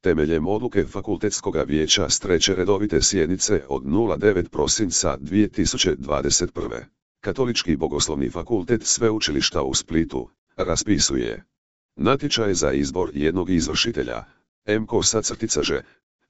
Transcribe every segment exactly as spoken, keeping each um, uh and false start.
Temeljem odluke Fakultetskoga vijeća s treće redovite sjednice od nula devet prosinca dvije tisuće dvadeset prve. Katolički bogoslovni fakultet Sveučilišta u Splitu raspisuje natječaj za izbor jednog izvršitelja, M kosa crtica ž,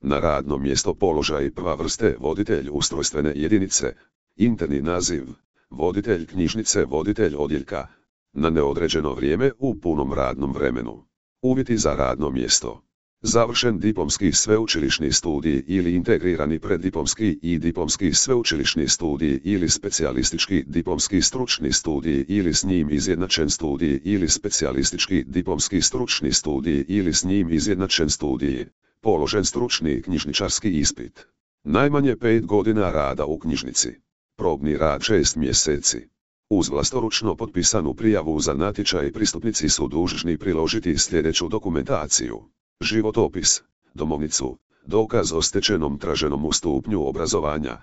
na radno mjesto položaj prva vrste voditelj ustrojstvene jedinice, interni naziv, voditelj knjižnice voditelj odjeljka, na neodređeno vrijeme u punom radnom vremenu. Uvjeti za radno mjesto. Završen diplomski sveučilišni studij ili integrirani preddiplomski i diplomski sveučilišni studij ili specijalistički diplomski stručni studij ili s njim izjednačen studij ili specijalistički diplomski stručni studij ili s njim izjednačen studij, položen stručni knjižničarski ispit. Najmanje pet godina rada u knjižnici. Probni rad šest mjeseci. Uz vlastoručno potpisanu prijavu za natječaj pristupnici su dužni priložiti sljedeću dokumentaciju: životopis, domovnicu, dokaz o stečenom traženom stupnju obrazovanja,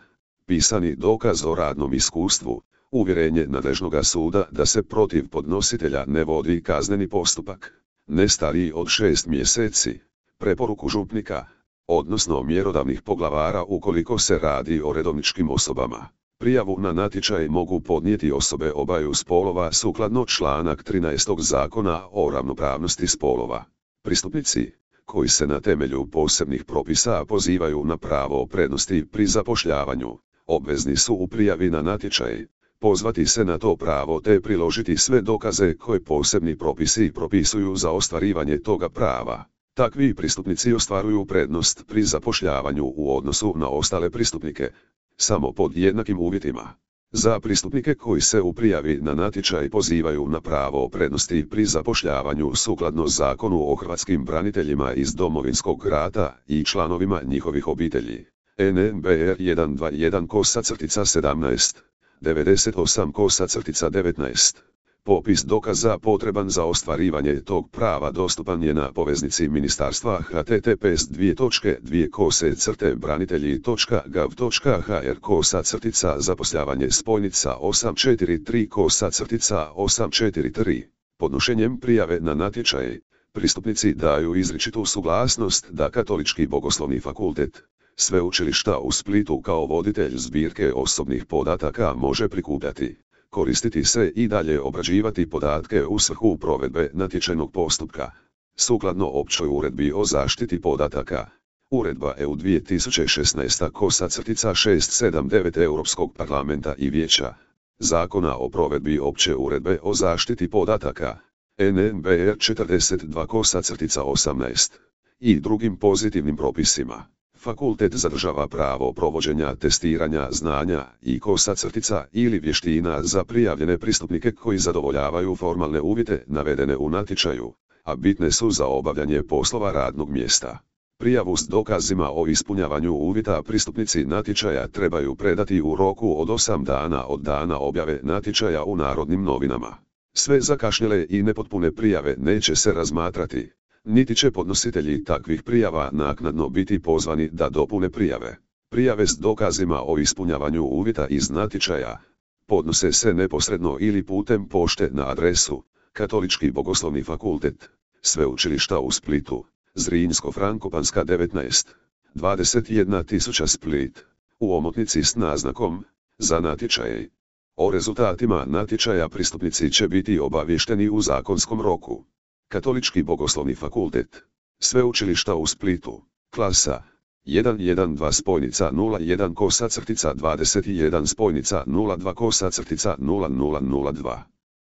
pisani dokaz o radnom iskustvu, uvjerenje nadležnoga suda da se protiv podnositelja ne vodi kazneni postupak, ne stariji od šest mjeseci, preporuku župnika, odnosno mjerodavnih poglavara ukoliko se radi o redovničkim osobama. Prijavu na natječaj mogu podnijeti osobe obaju spolova sukladno članak trinaest Zakona o ravnopravnosti spolova. Pristupnici, koji se na temelju posebnih propisa pozivaju na pravo prednosti pri zapošljavanju, obvezni su u prijavi na natječaj pozvati se na to pravo te priložiti sve dokaze koje posebni propisi propisuju za ostvarivanje toga prava. Takvi pristupnici ostvaruju prednost pri zapošljavanju u odnosu na ostale pristupnike, samo pod jednakim uvjetima. Za pristupnike koji se u prijavi na natječaj pozivaju na pravo prednosti pri zapošljavanju sukladno Zakonu o hrvatskim braniteljima iz Domovinskog rata i članovima njihovih obitelji, N M B R jedan dva jedan kosa crtica sedamnaest, devedeset osam kosa crtica devetnaest. Popis dokaza potreban za ostvarivanje tog prava dostupan je na poveznici ministarstva h t t p s dvije točke dvije kose crte branitelji točka gov točka h r kosa crtica zapošljavanje spojnica osam četiri tri kosa crtica osam četiri tri. Podnošenjem prijave na natječaj, pristupnici daju izričitu suglasnost da Katolički bogoslovni fakultet Sveučilišta u Splitu kao voditelj zbirke osobnih podataka može prikupljati, koristiti se i dalje obrađivati podatke u svrhu provedbe natječajnog postupka. Sukladno općoj uredbi o zaštiti podataka, Uredba E U dvije tisuće šesnaest kosa crtica šest sedam devet Europskog parlamenta i vijeća, Zakona o provedbi opće uredbe o zaštiti podataka, N M B R četrdeset dva kosa crtica osamnaest, i drugim pozitivnim propisima. Fakultet zadržava pravo provođenja testiranja znanja i kosa crtica ili vještina za prijavljene pristupnike koji zadovoljavaju formalne uvjete navedene u natječaju, a bitne su za obavljanje poslova radnog mjesta. Prijavu s dokazima o ispunjavanju uvjeta pristupnici natječaja trebaju predati u roku od osam dana od dana objave natječaja u Narodnim novinama. Sve zakašnjele i nepotpune prijave neće se razmatrati, niti će podnositelji takvih prijava naknadno biti pozvani da dopune prijave. Prijave s dokazima o ispunjavanju uvjeta iz natječaja podnose se neposredno ili putem pošte na adresu Katolički bogoslovni fakultet Sveučilišta u Splitu, Zrinjsko-Frankopanska devetnaest, dvadeset jedna tisuća Split, u omotnici s naznakom za natječaj. O rezultatima natječaja pristupnici će biti obavješteni u zakonskom roku. Katolički bogoslovni fakultet Sveučilišta u Splitu, klasa jedan jedan dva spojnica nula jedan kosa crtica dvadeset jedan spojnica nula dva kosa crtica nula nula nula dva.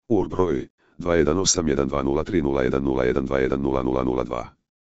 U R broj dva jedan osam jedan dva nula tri nula jedan nula jedan dva jedan nula nula nula dva.